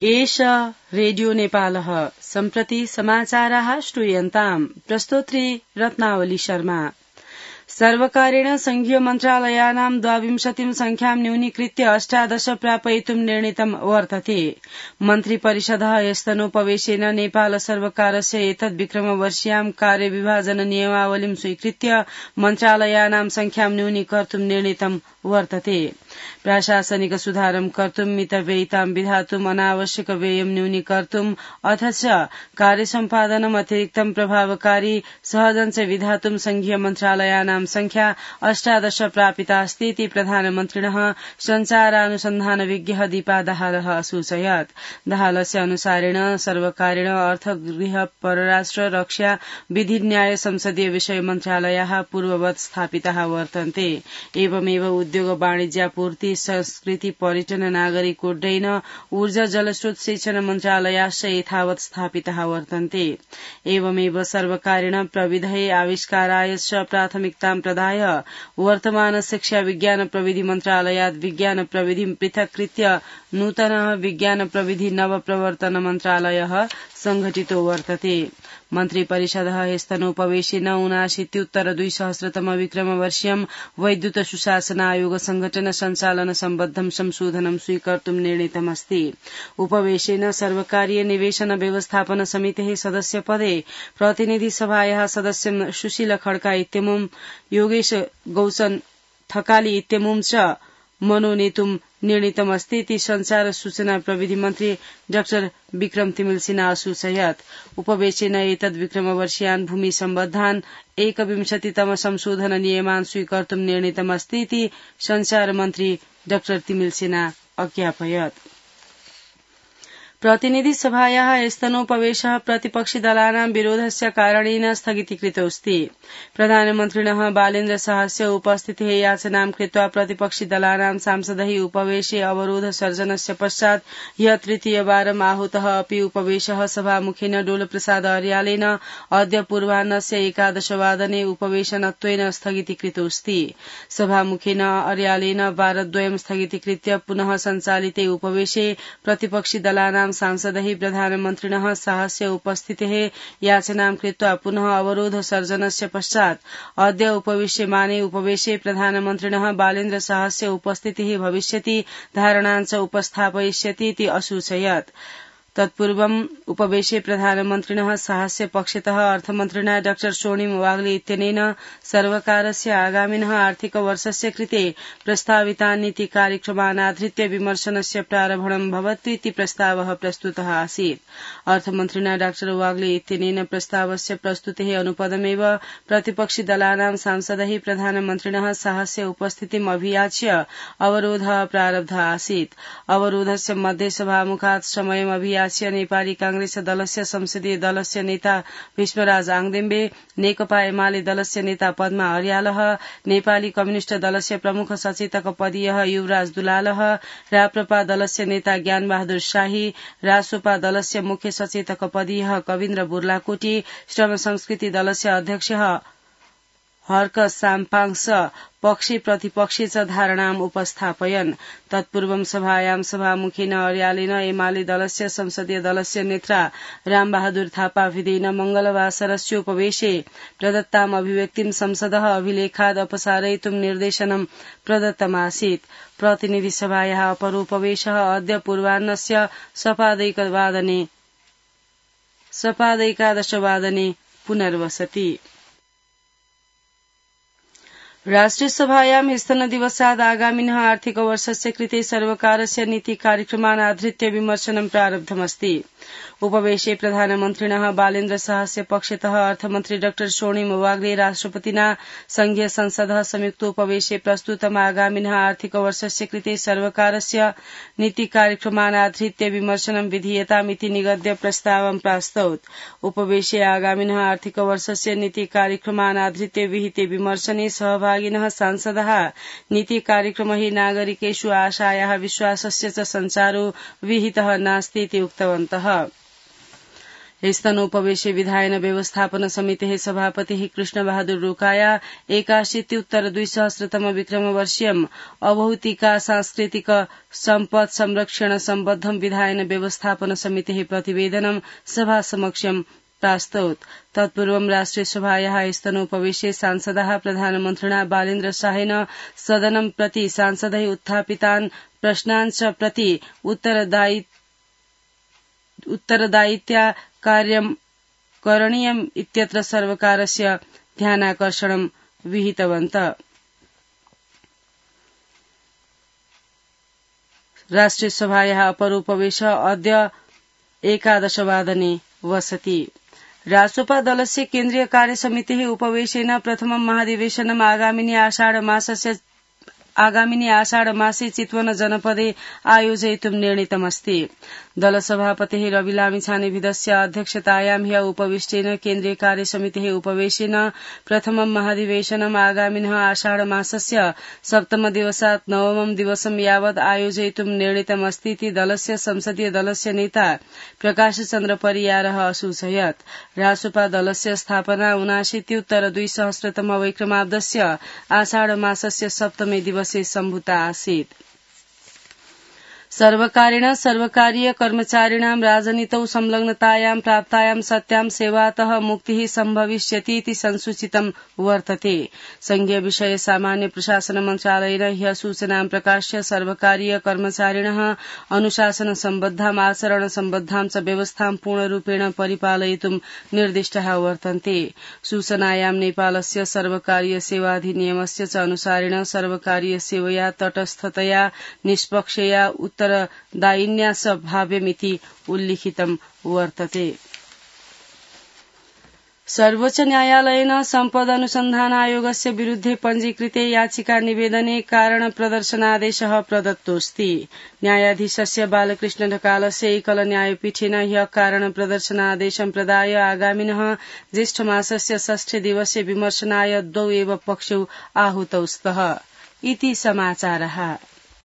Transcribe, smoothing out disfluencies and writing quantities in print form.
एष रेडियो नेपालः सम्प्रति समाचाराः श्रूयन्ताम् प्रस्तोत्री रत्नावली शर्मा। सर्वकारेण संघीय मन्त्रालयानां 22 संख्यां न्यूनीकृत्य 18 प्रापयितुं निर्णीतं वर्तते। मन्त्रिपरिषदः यस्तनोपवेशेन नेपाल सर्वकारस्य एतद् विक्रमवर्षीयां कार्यविभाजन नियमावलीं स्वीकृत्य मन्त्रालयानां संख्यां न्यूनीकर्तुं निर्णीतं वर्तते। प्राशासनिक सुधारं कर्तुं मितव्ययितां विधातुं अनावश्यक व्ययं न्यूनीकर्तुं अथ च कार्यसम्पादनम् अतिरिक्तं प्रभावकारी सहजं च विधातुं संघीय मन्त्रालयानां संख्या 18 प्रापिता अस्ति इति प्रधानमन्त्रिणः संचारानुसन्धान विज्ञः दीपा दाहालः असूचयत्। दाहालस्य अनुसारेण सर्वकारेण अर्थ गृह परराष्ट्र रक्षा विधि न्याय संसदीय विषय मन्त्रालयाः पूर्ववत् स्थापिताः वर्तन्ते। एवमेव उद्योग वाणिज्यापूर्ति संस्कृति पर्यटन नागरिक उड्डयन ऊर्जा जलस्रोत शिक्षण मन्त्रालयाश्च यथावत् स्थापिताः वर्तन्ते। एवमेव सर्वकारेण प्रविधये आविष्काराय च प्राथमिकतां प्रदाय वर्तमान शिक्षा विज्ञान प्रविधि मन्त्रालयात् विज्ञान प्रविधिं पृथक्कृत्य नूतनः विज्ञान प्रविधि नव प्रवर्तन मन्त्रालयः संघटितो वर्तते। मन्त्रिपरिषदः ह्यस्तनोपवेशेन 79-2000 विक्रमवर्षीयं वैद्युत सुशासन आयोग संघटन सञ्चालन सम्बद्धं संशोधनं स्वीकर्तुं निर्णीतमस्ति। उपवेशेन सर्वकारीय निवेशन व्यवस्थापन समितेः सदस्य पदे प्रतिनिधि सभायाः सदस्यं सुशील खड्का इत्यमुं योगेश गौचन थकाली इत्यमुं च मनोनेतुं निर्णीतमस्ति इति संचार सूचना प्रविधि मन्त्री डाक्टर विक्रम तिमिल सिन्हा असूचयत्। उपवेशेन एतद् विक्रमवर्षीयान् भूमि सम्बद्धान् 21तम संशोधन नियमान् स्वीकर्तुं निर्णीतमस्ति इति संचार मन्त्री डाक्टर तिमिल सिन्हा अज्ञापयत्। प्रतिनिधि सभायाः स्तनोपवेशः प्रतिपक्षि दलानां विरोधस्य कारणेन स्थगितीकृतोऽस्ति। प्रधानमन्त्रिणः बालेन्द्र शाहस्य उपस्थितेः याचनां कृत्वा प्रतिपक्षि दलानां सांसदैः उपवेशे अवरोध सर्जनस्य पश्चात् ह्यः तृतीयवारम् आहूतः अपि उपवेशः सभामुखेन डोलप्रसाद अर्यालेन अद्य पूर्वाह्नस्य 11 वादने उपवेशनत्वेन स्थगितीकृतोऽस्ति। सभामुखेन अर्यालेन वारद्वयं स्थगितीकृत्य पुनः सञ्चालिते उपवेशे प्रतिपक्षि दलानां सांसदैः प्रधानमन्त्रिणः शाहस्य उपस्थितेः याचनां कृत्वा पुनः अवरोध सर्जनस्य पश्चात् अद्य उपविश्यमाने उपवेशे प्रधानमन्त्रिणः बालेन्द्र शाहस्य उपस्थितिः भविष्यति धारणां च उपस्थापयिष्यति इति असूचयत्। तत्पूर्वम् उपवेशे प्रधानमन्त्रिणः शाहस्य पक्षतः अर्थमन्त्रिणा डाक्टर स्वर्णिम वाग्ले इत्यनेन सर्वकारस्य आगामिनः आर्थिक वर्षस्य कृते प्रस्तावितान् नीति कार्यक्रमान् आधृत्य विमर्शनस्य प्रारम्भं भवतु इति प्रस्तावः प्रस्तुतः आसीत्। अर्थमन्त्रिणा डाक्टर वाग्ले इत्यनेन प्रस्तावस्य प्रस्तुतेः अनुपदमेव प्रतिपक्षि दलानां सांसदैः प्रधानमन्त्रिणः शाहस्य उपस्थितिम् अभियाच्य अवरोधः प्रारब्धः आसीत्। अवरोधस्य मध्ये सभामुखात् समयम् अभियाच्य नेपाली कांग्रेस दलस्य संसदीय दलस्य नेता भीष्मराज आङदेम्बे, नेकपा एमाले दलस्य नेता पद्मा अर्यालः, नेपाली कम्युनिष्ट दलस्य प्रमुख सचेतक पदीयः युवराज दुलालः, राप्रपा दलस्य नेता ज्ञानबहादुर शाही, रासोपा दलस्य मुख्य सचेतक पदीयः कविन्द्र बुर्लाकोटी, श्रम संस्कृति दलस्य अध्यक्ष हर्क साम्पाङ्स पक्षे प्रतिपक्षे च धारणाम् उपस्थापयन्। तत्पूर्वं सभायां सभामुखेन अर्यालेन एमाले दलस्य संसदीय दलस्य नेता रामबहादुर थापा विधेन मंगलवासरस्योपवेशे प्रदत्ताम् अभिव्यक्तिं संसदः अभिलेखाद् अपसारयितुं निर्देशनं प्रदत्तमासीत्। प्रतिनिधि सभायाः अपरोपवेशः अद्य पूर्वाह्नस्य सपादैकादश वादने पुनर्वसति। राष्ट्रिय सभायां स्तनदिवसात् आगामिनः आर्थिक वर्षस्य कृते सर्वकारस्य नीति कार्यक्रमान् आधृत्य विमर्शनं प्रारब्धमस्ति। उपवेशे प्रधानमन्त्रिणः बालेन्द्र शाहस्य पक्षतः अर्थमन्त्री डाक्टर स्वर्णिम वाग्ले राष्ट्रपतिना संघीय संसदः संयुक्तोपवेशे प्रस्तुतम् आगामिनः आर्थिक वर्षस्य कृते सर्वकारस्य नीति कार्यक्रमान् आधृत्य विमर्शनं विधीयतामिति निगद्य प्रस्तावं प्रास्तौत्। उपवेशे आगामिनः आर्थिक वर्षस्य नीति कार्यक्रमान् आधृत्य विहिते विमर्शने सहभागिनः सांसदः नीति कार्यक्रम हि नागरिकेषु आशायाः विश्वासस्य च सञ्चारो विहितः नास्ति इति उक्तवन्तः। स्तनोपवेशे विधायन व्यवस्थापन समितेः सभापतिः कृष्णबहादुर रोकाया 81-उत्तर-2000 विक्रमवर्षीयम् अभौतिका सांस्कृतिक सम्पद संरक्षण सम्बद्धं विधायन व्यवस्थापन समितेः प्रतिवेदनं सभा समक्षं प्रास्तौत्। तत्पूर्वं राष्ट्रिय सभायाः स्तनोपवेशे सांसदाः प्रधानमन्त्रिणा बालेन्द्र शाहेन सदनं प्रति सांसदैः उत्थापितान् प्रश्नान् च प्रति उत्तरदायित्या कार्यं करणीयम् इत्यत्र सर्वकारस्य ध्यानाकर्षणं विहितवन्तः। राष्ट्रिय सभायाः अपरोपवेश अद्य 11 वादने वसति। रासोपा दलस्य केन्द्रीय कार्यसमितेः उपवेशेन प्रथमं महाधिवेशनम् आगामिनि आषाढमासे चितवन जनपदे आयोजयितुं निर्णीतमस्ति। दलसभापतेः रवि लामिछानेविदस्य अध्यक्षतायां ह्य उपविष्टेन केन्द्रीय कार्यसमितेः उपवेशेन प्रथमं महाधिवेशनम् आगामिनः आषाढमासस्य 7 दिवसात् 9 दिवसं यावत् आयोजयितुं निर्णीतमस्ति इति दलस्य संसदीय दलस्य नेता प्रकाश चन्द्र परियारः असूचयत्। रासोपा दलस्य स्थापना 79-उत्तर-2000 वैक्रमाब्दस्य आषाढमासस्य 7 दिवसे सम्भूता आसीत्। सर्वकारेण सर्वकारीय कर्मचारिणां राजनीतौ संलग्नतायां प्राप्तायां सत्यां सेवातः मुक्तिः सम्भविष्यति इति संसूचितं वर्तते। संघीय विषय सामान्य प्रशासन मन्त्रालयेन ह्यः सूचनां प्रकाश्य सर्वकारीय कर्मचारिणः अनुशासन सम्बद्धाम् आचरण सम्बद्धां च व्यवस्थां पूर्णरूपेण परिपालयितुं निर्दिष्टाः वर्तन्ते। सूचनायां नेपालस्य सर्वकारीय सेवाधिनियमस्य च अनुसारेण सर्वकारीय सेवया तटस्थतया निष्पक्षया उत्तरदायिन्या च भाव्यमिति उल्लिखितं वर्तते। सर्वोच्च न्यायालयेन सम्पद अनुसन्धान आयोगस्य विरुद्धे पञ्जीकृते याचिका निवेदने कारण प्रदर्शनादेशः प्रदत्तोऽस्ति। न्यायाधीशस्य बालकृष्ण ढकालस्य एकल न्यायपीठेन ह्यः कारण प्रदर्शनादेशं प्रदाय आगामिनः ज्येष्ठमासस्य 6 दिवसे विमर्शनाय 2 एव पक्षौ आहुतौ स्तः इति समाचारः।